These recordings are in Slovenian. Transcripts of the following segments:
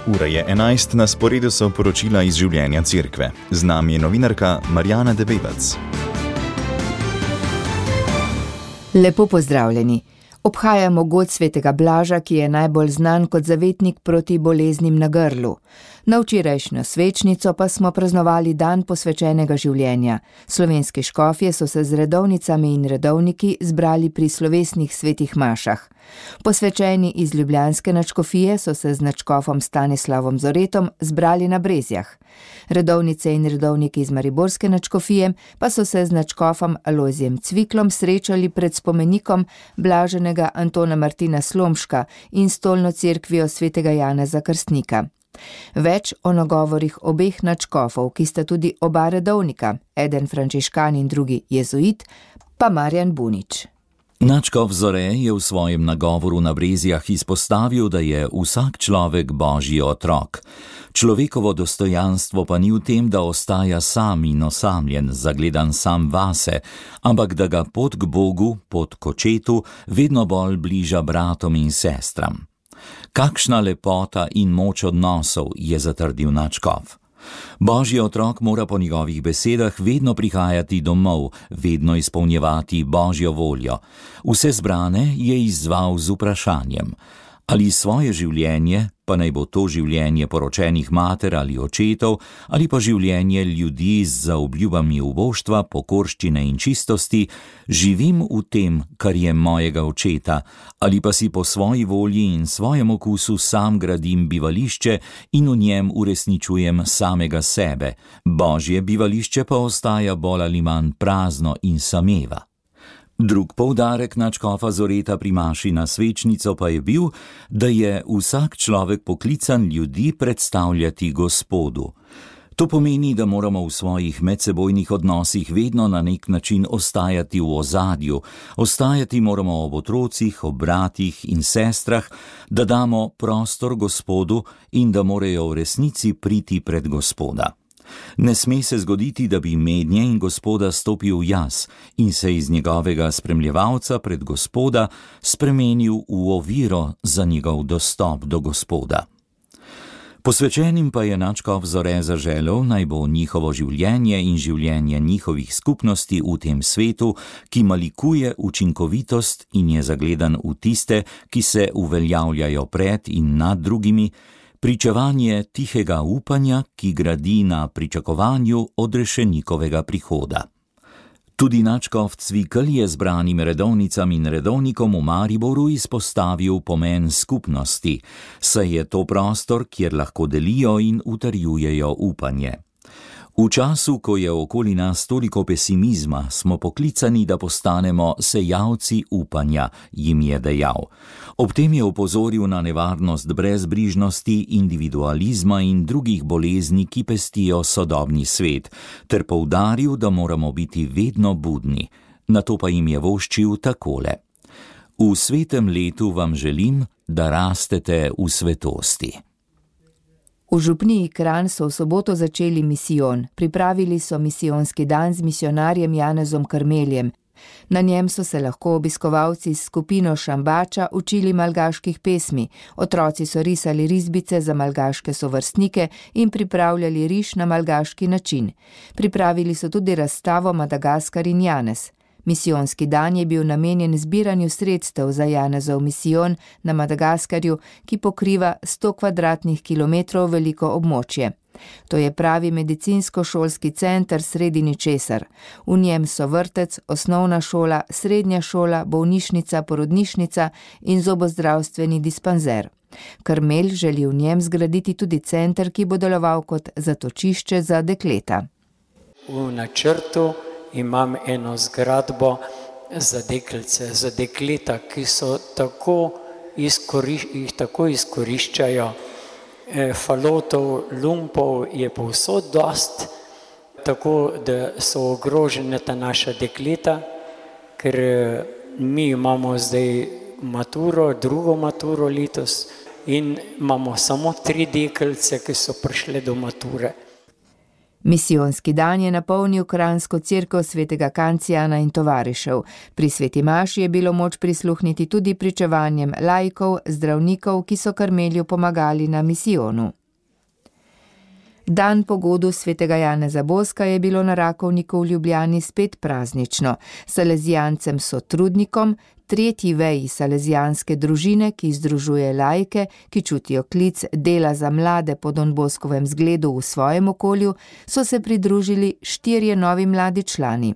Ura je 11, na sporedu so poročila iz življenja cerkve. Z nami je novinarka Marjana Debevac. Lepo pozdravljeni. Obhajamo god svetega Blaža, ki je najbolj znan kot zavetnik proti boleznim na grlu. Na včerajšnjo svečnico pa smo praznovali dan posvečenega življenja. Slovenski škofje so se z redovnicami in redovniki zbrali pri slovesnih svetih mašah. Posvečeni iz ljubljanske nadškofije so se z nadškofom Stanislavom Zoretom zbrali na Brezjah. Redovnice in redovniki iz mariborske nadškofije pa so se z nadškofom Alojzijem Cviklom srečali pred spomenikom blaženega Antona Martina Slomška in stolno cerkvijo svetega Janeza Krstnika. Več o nagovorih obeh nadškofov, ki sta tudi oba redovnika, eden frančiškan in drugi jezuit, pa Marjan Bunič. Nadškof Zore je v svojem nagovoru na Brezjah izpostavil, da je vsak človek Božji otrok. Človekovo dostojanstvo pa ni v tem, da ostaja sam in osamljen, zagledan sam vase, ampak da ga pot k Bogu, pot k očetu, vedno bolj bliža bratom in sestram. Kakšna lepota in moč odnosov, je zatrdil nadškof. Božji otrok mora po njegovih besedah vedno prihajati domov, vedno izpolnjevati Božjo voljo. Vse zbrane je izzval z vprašanjem: ali svoje življenje, pa naj bo to življenje poročenih mater ali očetov, ali pa življenje ljudi z zaobljubami uboštva, pokorščine in čistosti, živim v tem, kar je mojega očeta, ali pa si po svoji volji in svojem okusu sam gradim bivališče in v njem uresničujem samega sebe. Božje bivališče pa ostaja bolj ali manj prazno in sameva. Drug poudarek nadškofa Zoreta pri maši na svečnico pa je bil, da je vsak človek poklican ljudi predstavljati Gospodu. To pomeni, da moramo v svojih medsebojnih odnosih vedno na nek način ostajati v ozadju, ostajati moramo ob otrocih, ob bratih in sestrah, da damo prostor Gospodu in da morajo v resnici priti pred Gospoda. Ne sme se zgoditi, da bi mednje in Gospoda stopil jaz in se iz njegovega spremljevalca pred Gospoda spremenil v oviro za njegov dostop do Gospoda. Posvečenim pa je nadškof Zore zaželel, naj bo njihovo življenje in življenje njihovih skupnosti v tem svetu, ki malikuje učinkovitost in je zagledan v tiste, ki se uveljavljajo pred in nad drugimi, pričevanje tihega upanja, ki gradi na pričakovanju odrešenikovega prihoda. Tudi nadškof Cvikl je zbranim redovnicam in redovnikom v Mariboru izpostavil pomen skupnosti, saj je to prostor, kjer lahko delijo in utrjujejo upanje. V času, ko je okoli nas toliko pesimizma, smo poklicani, da postanemo sejalci upanja, jim je dejal. Ob tem je opozoril na nevarnost brezbrižnosti, individualizma in drugih bolezni, ki pestijo sodobni svet, ter poudaril, da moramo biti vedno budni. Nato pa jim je voščil takole: v svetem letu vam želim, da rastete v svetosti. V župniji Kranj so v soboto začeli misijon. Pripravili so misijonski dan z misionarjem Janezom Krmeljem. Na njem so se lahko obiskovalci s skupino Šambača učili malgaških pesmi, otroci so risali risbice za malgaške sovrstnike in pripravljali riž na malgaški način. Pripravili so tudi razstavo Madagaskar in Janez. Misijonski dan je bil namenjen zbiranju sredstev za Janezov misijon na Madagaskarju, ki pokriva 100 kvadratnih kilometrov veliko območje. To je pravi medicinsko-šolski center sredi ničesar. V njem so vrtec, osnovna šola, srednja šola, bolnišnica, porodnišnica in zobozdravstveni dispanzer. Krmelj želi v njem zgraditi tudi center, ki bo deloval kot zatočišče za dekleta. V načrtu imam eno zgradbo za deklice, za dekleta, ki so jih tako izkoriščajo. Falotov, lumpov je povsod dost, tako da so ogrožene ta naša dekleta, ker mi imamo zdaj maturo, drugo maturo letos in imamo samo 3 deklice, ki so prišle do mature. Misijonski dan je napolnil kranjsko cerkev svetega Kancijana in tovarišev. Pri sveti maši je bilo moč prisluhniti tudi pričevanjem laikov, zdravnikov, ki so Karmelju pomagali na misijonu. Dan po godu svetega Janeza Boska je bilo na Rakovniku v Ljubljani spet praznično. Salezijancem sotrudnikom, tretji veji salezijanske družine, ki združuje laike, ki čutijo klic dela za mlade po Don Boskovem zgledu v svojem okolju, so se pridružili 4 novi mladi člani.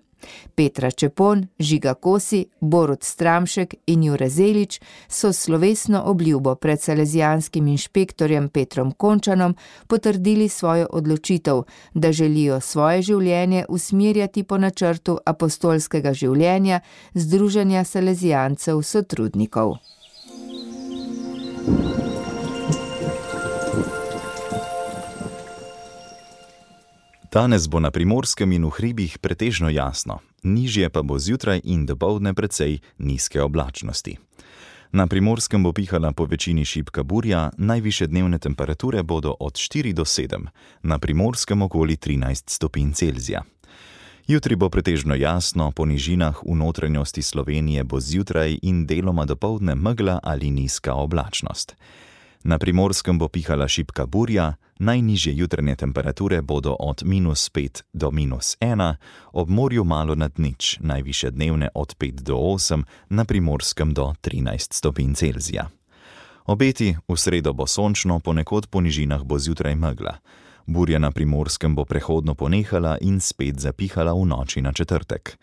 Petra Čepon, Žiga Kosi, Borut Stramšek in Jure Zelič so slovesno obljubo pred salezijanskim inšpektorjem Petrom Končanom potrdili svojo odločitev, da želijo svoje življenje usmerjati po načrtu apostolskega življenja Združenja salezijancev sotrudnikov. Danes bo na Primorskem in v hribih pretežno jasno, nižje pa bo zjutraj in dopoldne precej nizke oblačnosti. Na Primorskem bo pihala po večini šibka burja, najvišje dnevne temperature bodo od 4 do 7, na Primorskem okoli 13 stopinj Celzija. Jutri bo pretežno jasno, po nižinah v notranjosti Slovenije bo zjutraj in deloma dopoldne megla ali nizka oblačnost. Na Primorskem bo pihala šibka burja, najnižje jutranje temperature bodo od -5 do -1, ob morju malo nad nič, najvišje dnevne od 5 do 8, na Primorskem do 13 stopinj Celzija. Obeti: v sredo bo sončno, ponekod po nižinah bo zjutraj megla. Burja na Primorskem bo prehodno ponehala in spet zapihala v noči na četrtek.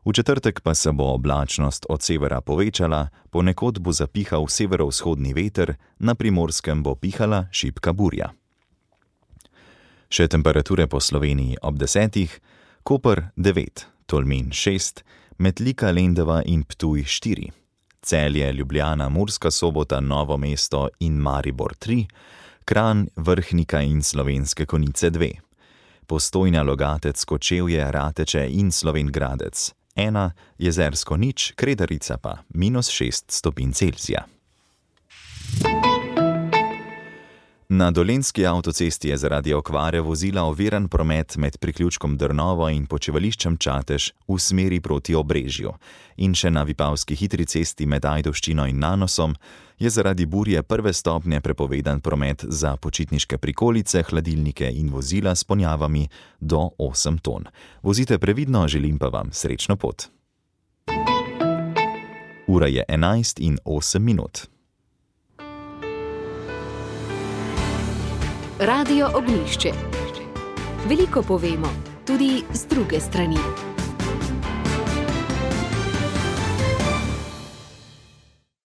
V četrtek pa se bo oblačnost od severa povečala, ponekod bo zapihal severovzhodni veter, na Primorskem bo pihala šibka burja. Še temperature po Sloveniji ob 10, Koper 9, Tolmin 6, Metlika, Lendava in Ptuj 4, Celje, Ljubljana, Murska Sobota, Novo mesto in Maribor 3, Kranj, Vrhnika in Slovenske Konjice 2, Postojna, Logatec, Kočevje, Rateče in Slovenj Gradec 1, Jezersko 0, Kredarica pa -6 stopinj Celzija. Na Dolenjski avtocesti je zaradi okvare vozila oviran promet med priključkom Drnovo in počivališčem Čatež v smeri proti Obrežju. In še na Vipavski hitri cesti med Ajdovščino in Nanosom je zaradi burje 1. stopnje prepovedan promet za počitniške prikolice, hladilnike in vozila s ponjavami do 8 ton. Vozite previdno, želim pa vam srečno pot. Ura je 11:08. Radio Ognjišče. Veliko povemo, tudi z druge strani.